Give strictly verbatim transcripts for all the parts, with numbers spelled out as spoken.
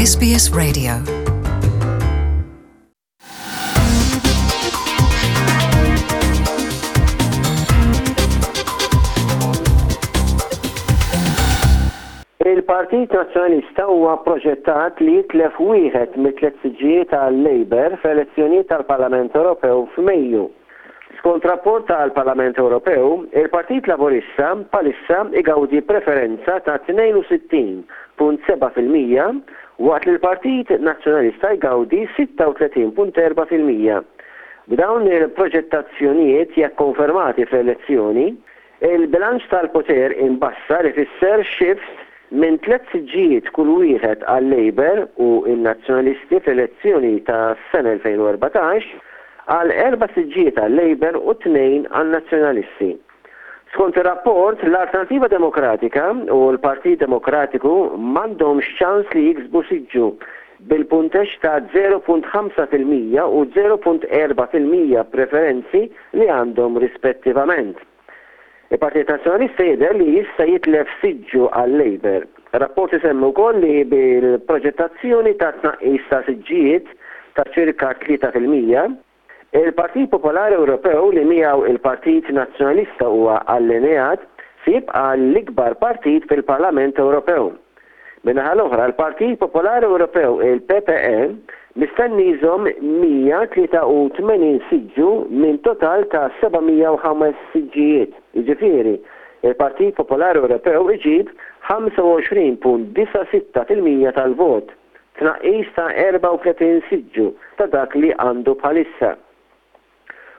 S B S Radio. Il-Partit Nazzjonalista huwa proġettat li jitlef wieħed mit-tliet siġġijiet tal-Labour fl-elezzjonijiet tal-Parlament Ewropew f'Mejju. Skont rapport tal-Parlament Ewropew, il-Partit Laburista bħalissa igawdi preferenza ta' tnejn u sittin punt sebgħa fil-mija waqt li l-Partit Nazzjonalista jgawdi sitta u tletin punt erbgħa fil-mija. B'dawn il-proġettazzjonijiet, jekk konfermati fl-elezzjoni, il-bilanċ tal-poter imbassar ifisser shift minn tliet siġġijiet kull wieħed għal Labour u n-Nazzjonalisti fl-elezzjoni ta' sena elfejn u erbatax għal erba' siġġijiet għal Labour u tnejn għal Nazzjonalisti. Skont ir-rapport, l-Alternativa Demokratika u l-Partit Demokratiku m'għandhomx ċans li jiksbu siġġu bil-punteġġ ta' żero punt ħamsa fil-mija u żero punt erbgħa fil-mija preferenzi li għandhom rispettivament. Il-Partit Nazzjonalista jidher li jista' jitlef siġġu għal Labour. Rapport isemmi wkoll li bil-proġettazzjoni ta' tnaqqis ta' siġġijiet ta' ċirka tlieta fil-mija, il-Partit Popolari Ewropew, li miegħu il-Partit Nazzjonalista huwa allineat, se jibqa' l-ikbar partit fil-Parlament Ewropew. Min-naħa l-oħra, l-Partit Popolari Ewropew, il-P P E, mistenni jżomm mija tlieta u tmenin siġġu minn total ta' seba' mija u ħames siġġijiet. Jiġifieri, il-Partit Popolari Ewropew iġib ħamsa u għoxrin punt disgħa sitta fil-mija tal-vot, tnaqqis ta' erbgħa u tletin siġġu ta' dak li għandu bħalissa.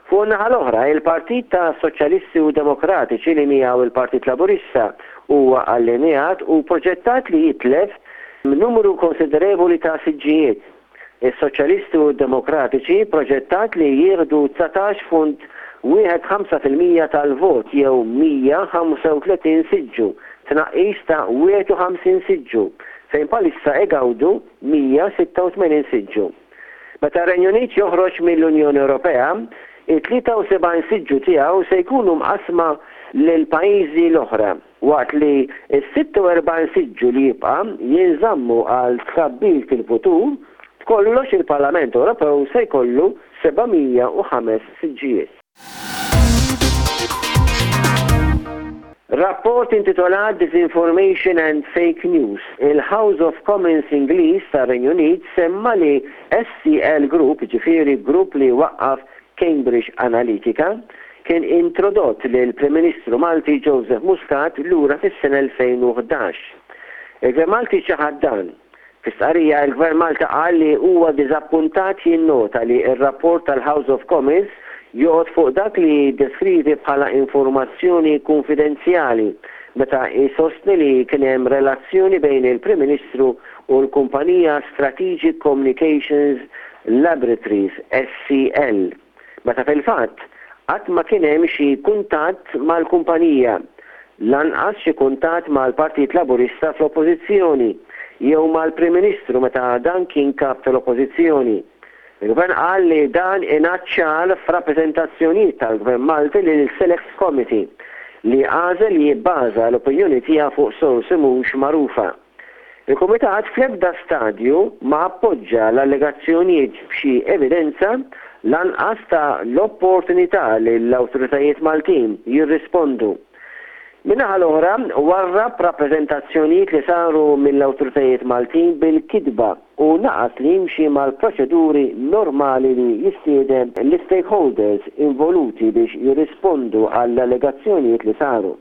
Fuq naħa l-oħra, il-Partit ta' Soċjalisti u Demokratiċi, li miegħu il-Partit Laburista huwa allineat, u proġettat li jitlef numru konsiderevoli ta' siġġijiet. Is-Soċjalisti u Demokratiċi proġettat li jieħdu dsatax punt wieħed ħamsa fil-mija tal-vot jew mija ħamsa u tletin siġġu, tnaqqis ta' wieħed u ħamsin siġġu, fejn bħalissa igawdu mija sitta u tmenin siġġu. Meta r-Renju Unit joħroġ mill-Unjoni Ewropea, it-tlieta u sebgħin siġġu tiegħu se jkunu mqasma lil pajjiżi l-oħra, waqt li s-sitta u erbgħin siġġu li jibqa' jinżammu għal tkabbir fil-futur. B'kollox, il-Parlament Ewropew se jkollu seba' mija u ħames siġġijiet. Rapport intitolat "Disinformation and Fake News". Il-House of Commons Ingliż tar-Renju Unit semma li S C L Group, ġifieri grupp li waqqaf Cambridge Analytica, kien introdott lil Prim Ministru Malti Joseph Muscat lura fis-sena elfejn u ħdax. Il-Gvern Malti ċaħad dan. Fi stqarrija, il-Gvern Malti qal li huwa diżappuntat jinnota li r-rapport tal-House of Commons joqgħod fuq dak li deskrivi bħala informazzjoni konfidenzjali meta jsostni li kien hemm relazzjoni bejn il-Prim Ministru u l-kumpanija Strategic Communications Laboratories, S C L. Meta fil-fatt qatt ma kien hemm xi kuntatt mal-kumpanija, lanqas xi kuntatt mal-Partit Laburista fl-Oppożizzjoni jew mal-Prim Ministru meta dan kien kap tal-Oppożizzjoni. Il-Gvern qal li dan ingħad ċar f'rappreżentazzjonijiet tal-Gvern Malti lil Select Committee, li għażel li jibbaża l-opinjoni tiegħu fuq sorsi mhux magħrufa. Il-Kumitat fl-ebda stadju ma appoġġa l-allegazzjonijiet b'xi evidenza, lanqas ta l-opportunità li l-awtoritajiet Maltin jirrispondu. Min-naħa l-oħra, warrab rappreżentazzjonijiet li saru mill-awtoritajiet Maltin bil-kidba u naqas li jimxi mal-proċeduri normali li jistieden l-stakeholders involuti biex jirrispondu għall-allegazzjonijiet li saru.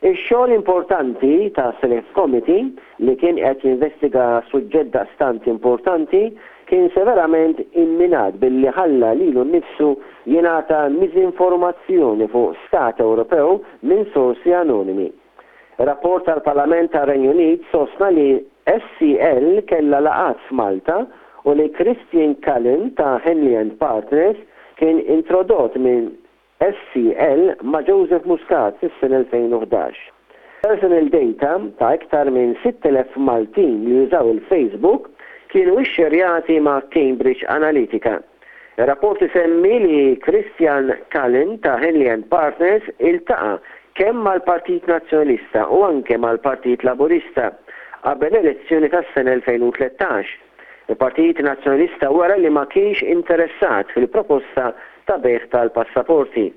Ix-xogħol importanti ta' Select Committee, li kien qed jinvestiga suġġett daqstant importanti, kien severament imminat billi ħalla lilu nnifsu jingħata miżinformazzjoni fuq Stat Ewropew minn sorsi anonimi. Rapport tal-Parlament tar-Renju Unit sostna li S C L kella laqat f'Malta u li Christian Cullen ta' Henley and Partners kien introdott minn S C L ma' Joseph Muscat fis-sena elfejn u ħdax. Personal data ta' iktar minn sitt elef Maltin li jużaw il-Facebook kienu ixxerjati ma' Cambridge Analytica. Il-rapport isemmi li Christian Cullen ta' Henley and Partners iltaqa' kemm mal-Partit Nazzjonalista u anke mal-Partit Laburista qabel l-elezzjoni tas-sena elfejn u tlettax. Il-Partit Nazzjonalista wera li ma kienx interessat fil-proposta ta' bejgħ tal-passaporti.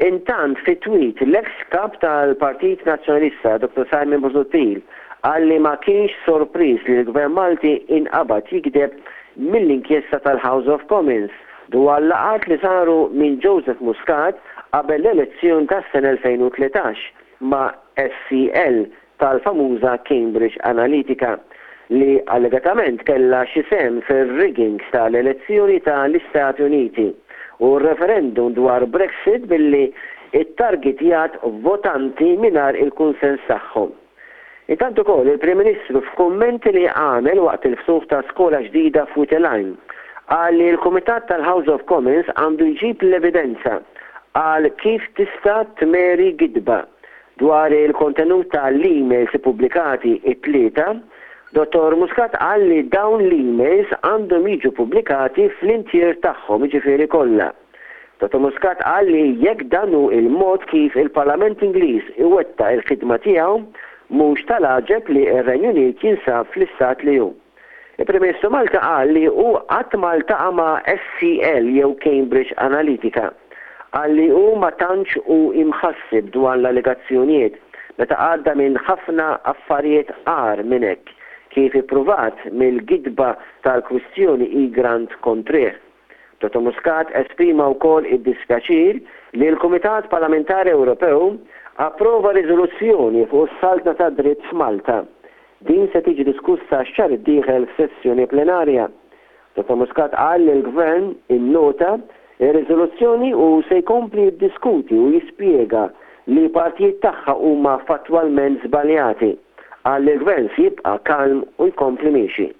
Intant, fi tweet, l-ex kap tal-Partit Nazzjonalista, Doctor Simon Busuttil, qal li ma kienx sorpriż li l-Gvern Malti inqabad jikdeb mill-inkjesta tal-House of Commons dwar laqgħat li saru minn Joseph Muscat qabel l-elezzjoni tas-sena elfejn u tlettax ma' S C L tal-famuża Cambridge Analytica, li allegatament kella xi sehem fir-rigging tal-elezzjoni tal-Istati Uniti u referendum dwar Brexit billi ittargetjat votanti mingħajr il-kunsens tagħhom. Intant ukoll, il-Prim Ministru, f'kummenti li għamel waqt il-ftuħ ta' skola ġdida f'Wied il-Għajn, qal li l-Kumitat tal-House of Commons għandu jġib l-evidenza għal kif tista' tmeri gidba dwar il-kontenut tal-emails pubblikati it-Tlieta. Dottor Muscat qal li dawn l-emails għandhom jiġu pubblikati fl-intier tagħhom, jiġifieri kollha. Dottor Muscat qal li jekk dan hu il-mod kif il-Parlament Ingliż iwettaq il-ħidma tiegħu, mhux tal-għaġeb li r-Renju Unit jinsab fl-istat li hu. Il-Prim Ministru Malta qal li hu qatt ma ltaqa' ma' S C L jew Cambridge Analytica. Qal li hu ma tantx hu imħassib dwar l-allegazzjonijiet meta għadda minn ħafna affarijiet agħar minn hekk, kif ippruvat mill-gidba tal-kwistjoni Egrant kontrih. Dottor Muscat esprima wkoll id-dispjaċir li l-Kumitat Parlamentari Ewropew approva riżoluzzjoni fuq is-saltna ta' dritt f'Malta. Din se tiġi diskussa x-xahar id-dieħel f'sessjoni plenarja. Dottor Muscat qal li l-Gvern innota ir-riżoluzzjoni u se jkompli jiddiskuti u jispjega li partijiet tagħha huma fattwalment żbaljati. Qal li l-Gvern se jibqa' kalm u jkompli miexi.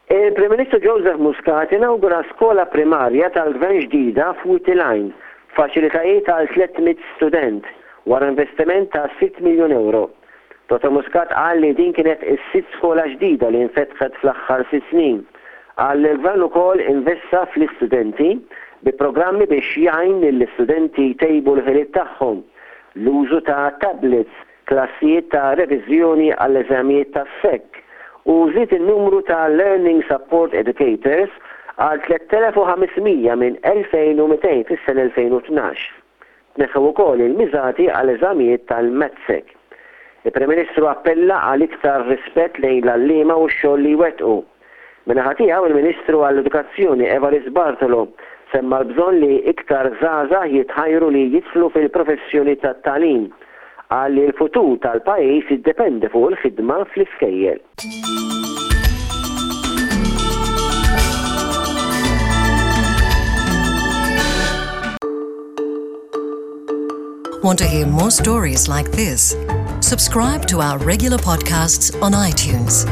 Il-Prim Ministru Joseph Muscat inaugura skola primarja tal-Gvern ġdida f'Wied il-Għajn, faċilitajiet għal tliet mitt student wara investiment ta' sitt miljun euro. Dottor Muscat qal li din kienet is-sitt skola ġdida li infetħet fl-aħħar sitt snin. Qal li l-Gvern ukoll investa fl-istudenti bi programmi biex jgħin lill-istudenti jtejbu l-ħiliet tagħhom, l-użu ta' tablets, klassijiet ta' reviżjoni għall-eżamijiet tas-S E C u żied in-numru ta' Learning Support Educators għal tliet elef u ħames mija minn elfejn u mitejn fis-sena elfejn u tnax. Tneħħew ukoll il-miżati għal eżamijiet tal-MATSEC. Il-Prim Ministru appella għal iktar rispett lejn l-għalliema u x-xogħol li jwettqu. Min-naħa tiegħu, il-Ministru għall-Edukazzjoni Evarist Bartolo semma l-bżonn li iktar żgħażagħ jitħajru li jidħlu fil-professjoni tat-tagħlim. Qal li l-futur tal-pajjiż jiddependi fuq il-ħidma fl-iskejjel. Want to hear more stories like this? Subscribe to our regular podcasts on iTunes.